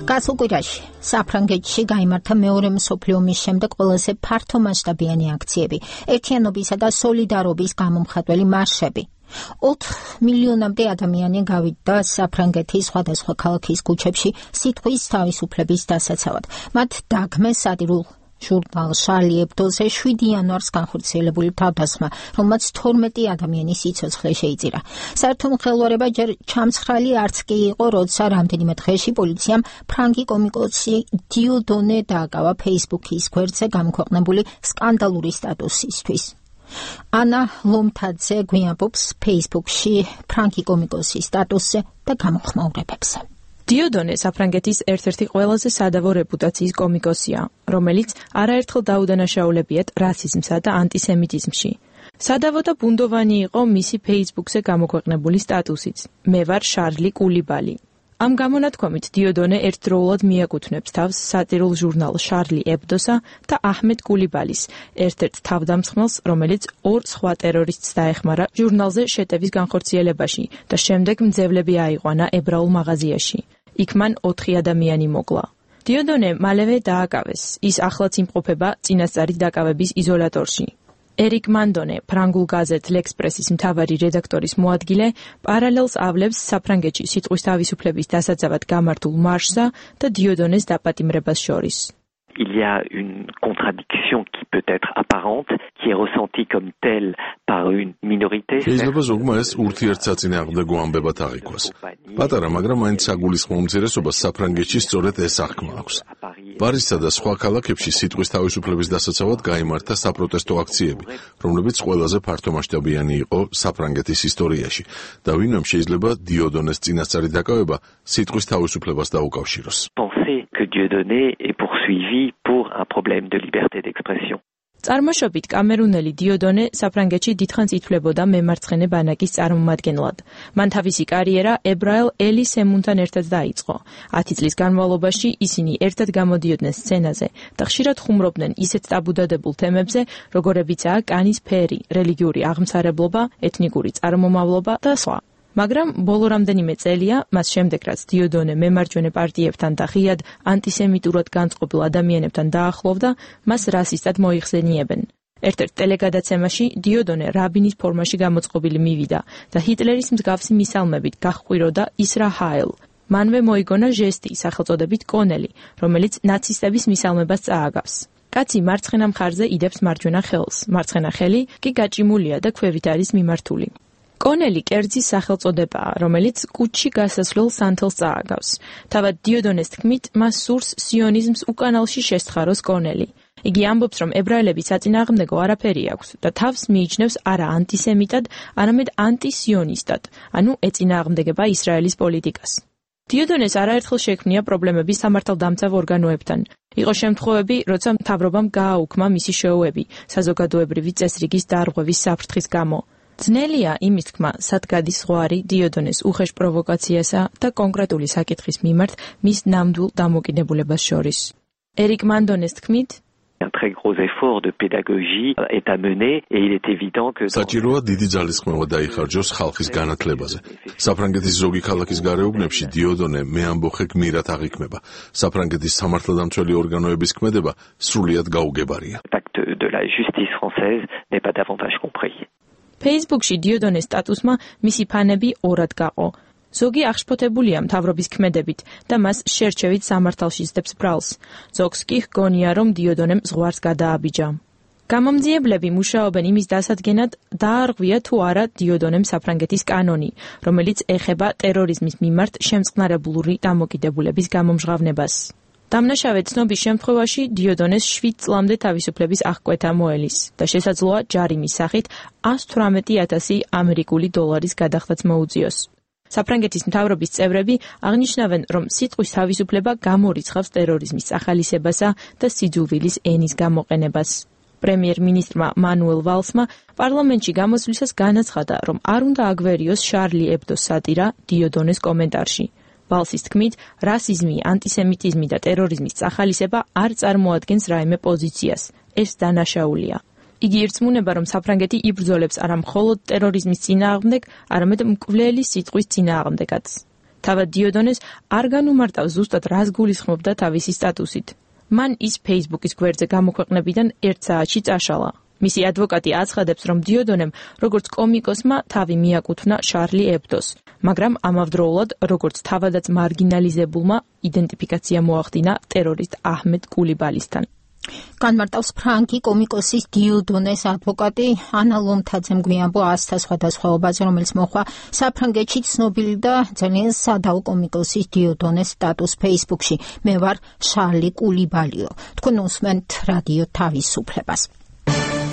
გასულ კვირაში საფრანგეთში გაიმართა მეორე მსოფლიო ომის შემდეგ ყველაზე ფართომასშტაბიანი აქციები, ერთიანობისა და სოლიდარობის გამომხატველი მარშები. 4 მილიონამდე ადამიანი გავიდა საფრანგეთის სხვადასხვა ქალაქის ქუჩებში სიტყვის თავისუფლების დასაცავად. მათ დაგმეს სატირულ ჟურნალ Charlie Hebdo-ზე 7 იანვარს განხორციელებული თავდასხმა, რომელმაც 12 ადამიანის სიცოცხლე შეიწირა. საერთო მხელვარება ჯერ ჩამცხრალი არც კი იყო, როცა რამდენიმე დღეში პოლიციამ ფრანგი კომიკოსი დიოდონე დააკავა Facebook-ის გვერდზე გამოქვეყნებული სკანდალური სტატუსისთვის. ანა ლომთაძე გვიამბობს Facebook-ში ფრანგი კომიკოსის სტატუსზე და გამოხმაურებებზე. დიოდონე საფრანგეთის ერთ-ერთი ყველაზე სადავო რეპუტაციის კომიკოსია, რომელიც არაერთხელ დაუდანაშაულებიათ რასიზმსა და ანტისემიტიზმში. სადავო და ბუნდოვანი იყო მისი Facebook-ზე გამოქვეყნებული სტატუსიც. მე ვარ შარლი კულიბალი. ამ გამონათქვამით დიოდონე ერთდროულად მიაკუთვნებს თავს სატირულ ჟურნალ Charlie Hebdo-სა და აჰმედ კულიბალის, ერთ-ერთ თავდამსხმელს, რომელიც 2 სხვა ტერორისტს დაეხმარა ჟურნალზე შეტევის განხორციელებაში და შემდეგ მძევლები აიყვანა ებრაულ მაღაზიაში. იქ მან 4 ადამიანი მოკლა. დიოდონე მალევე დააკავეს. ის ახლაც იმყოფება წინასწარი დაკავების იზოლატორში. ერიკ მანდონე, ფრანგულ გაზეთ L'Express-ის მთავარი რედაქტორის მოადგილე, პარალელს ავლებს საფრანგეთში სიტყვის თავისუფლების დასაცავად გამართულ მარშსა და დიოდონეს დაპატიმრებას შორის. Il y a une contradiction qui peut être apparente, qui est ressentie comme telle par une minorité. შეიძლება ზოგმა ეს ურთიერთსაწინააღმდეგო ამბებად აღიქვას. პატარა, მაგრამ მაინც საგულისხმო უმცირესობას საფრანგეთში სწორედ ეს აღქმა აქვს. პარიზსა და სხვა ქალაქებში სიტყვის თავისუფლების დასაცავად გაიმართა საპროტესტო აქციები, რომლებიც ყველაზე ფართომასშტაბიანი იყო საფრანგეთის ისტორიაში და ვინმემ შეიძლება დიოდონეს წინასწარი დაკავება სიტყვის თავისუფლებას დაუკავშიროს. Que Dieudonné est poursuivi pour un problème de liberté d'expression. წარმოშობით კამერუნელი დიოდონე საფრანგეთში დიდხანს ითვლებოდა მემარცხენე ბანაკის წარმომადგენლად. მან თავისი კარიერა ებრაელ ელი სემუნთან ერთად დაიწყო. 10 წლის განმავლობაში ისინი ერთად გამოდიოდნენ სცენაზე და ხშირად ხუმრობდნენ ისეთ ტაბუდადებულ თემებზე, როგორებიცაა კანის ფერი, რელიგიური აღმსარებლობა, ეთნიკური წარმომავლობა და სხვა. მაგრამ ბოლო რამდენიმე წელია, მას შემდეგ რაც დიოდონე მემარჯვენე პარტიებთან და ღიად ანტისემიტურად განწყობილ ადამიანებთან დაახლოვდა, მას რასისტად მოიხსენიებენ. ერთ-ერთ ტელეგადაცემაში დიოდონე რაბინის ფორმაში გამოწყობილი მივიდა და ჰიტლერის მსგავსი მისალმებით გაჰყვიროდა ისრა ჰაილ. მანვე მოიგონა ჟესტი სახელწოდებით კონელი, რომელიც ნაცისტების მისალმებას წააგავს. კაცი მარცხენა მხარზე იდებს მარჯვენა ხელს, მარცხენა ხელი კი გაჭიმულია და ქვევით არის მიმართული. კონელი კერძის სახელწოდებაა, რომელიც კუჩში გასასვლელ სანთელს წააგავს. თავად დიოდონეს თქმით, მას სურს სიონიზმს უკანალში შესთხაროს კონელი. იგი ამბობს, რომ ებრაელების საწინააღმდეგო არაფერი აქვს და თავს მიიჩნევს არა ანტისემიტად, არამედ ანტისიონისტად, ანუ ეწინააღმდეგება ისრაელის პოლიტიკას. დიოდონეს არაერთხელ შექმნია პრობლემები სამართალდამცავ ორგანოებთან. იყო შემთხვევები, როცა მთავრობამ გააუქმა მისი შოუები საზოგადოებრივი წესრიგის დარღვევის საფრთხის გამო. ძნელია იმის თქმა, სად გადის ზღვარი დიოდონეს უხეშ პროვოკაციასა და კონკრეტული საკითხის მიმართ მის ნამდვილ დამოკიდებულებას შორის. ერიკ მანდონეს თქმით, Un très gros effort de pédagogie est à mener et il est évident que საჭიროა დიდი ძალისხმევა დაიხარჯოს ხალხის განათლებაზე. საფრანგეთის ზოგი ქალაქის გარეუბნებში დიოდონე მეამბოხე გმირად აღიქმება. საფრანგეთის სამართალდამცველი ორგანოების ქმედება სრულიად გაუგებარია. L'acte de la justice française n'est pas davantage compris. Facebook-ში დიოდონეს სტატუსმა მისი ფანები ორად გაყო. ზოგი აღშფოთებულია მთავრობის ქმედებით და მას შერჩევით სამართალში ზდებს ბრალს. ზოგს კი ჰგონია, რომ დიოდონემ ზღვარს გადააბიჯა. გამომძიებლები მუშაობენ იმის დასადგენად, დაარღვია თუ არა დიოდონემ საფრანგეთის კანონი, რომელიც ეხება ტერორიზმის მიმართ შემწყნარებლური დამოკიდებულების გამომჟღავნებას. დამნაშავე ცნობის შემთხვევაში დიოდონეს 7 წლამდე თავისუფლების აღკვეთა მოელის და შესაძლოა ჯარიმის სახით 118,000 ამერიკული დოლარის გადახდაც მოუწიოს. საფრანგეთის მთავრობის წევრები აღნიშნავენ, რომ სიტყვის თავისუფლება გამორიცხავს ტერორიზმის ახალისებასა და სიძულვილის ენის გამოყენებას. პრემიერ-მინისტრმა მანუელ ვალსმა პარლამენტში გამოსვლისას განაცხადა, რომ არ უნდა აგვერიოს Charlie Hebdo სატირა დიოდონეს კომენტარში. ვალსის თქმით, რასიზმი, ანტისემიტიზმი და ტერორიზმის წახალისება არ წარმოადგენს რაიმე პოზიციას. ეს დანაშაულია. იგი ირწმუნება, რომ საფრანგეთი იბრძოლებს არა მხოლოდ ტერორიზმის წინააღმდეგ, არამედ მკვლელი სიტყვის წინააღმდეგაც. თავად დიოდონეს არ განუმარტავს ზუსტად რას გულისხმობდა თავისი სტატუსით. მან ის Facebook-ის გვერდზე გამოქვეყნებიდან 1 საათში წაშალა. მისი ადვოკატი აცხადებს, რომ დიოდონემ, როგორც კომიკოსმა, თავი მიაკუთვნა შარლი ებდოს, მაგრამ ამავდროულად, როგორც თავადაც მარგინალიზებულმა, იდენტიფიკაცია მოახდინა ტერორისტ აჰმედ კულიბალისთან. განმარტავს ფრანგი კომიკოსის დიოდონეს ადვოკატი ანა ლომთაძემ გვიანბო ასთა სხვადასხვაობაზე, რომელიც მოხდა საფრანგეთში ცნობილი და ძალიან სადაო კომიკოსის დიოდონეს სტატუს Facebook-ში. მე ვარ შარლი კულიბალიო. თქვენ უსმენთ რადიო თავისუფლებას.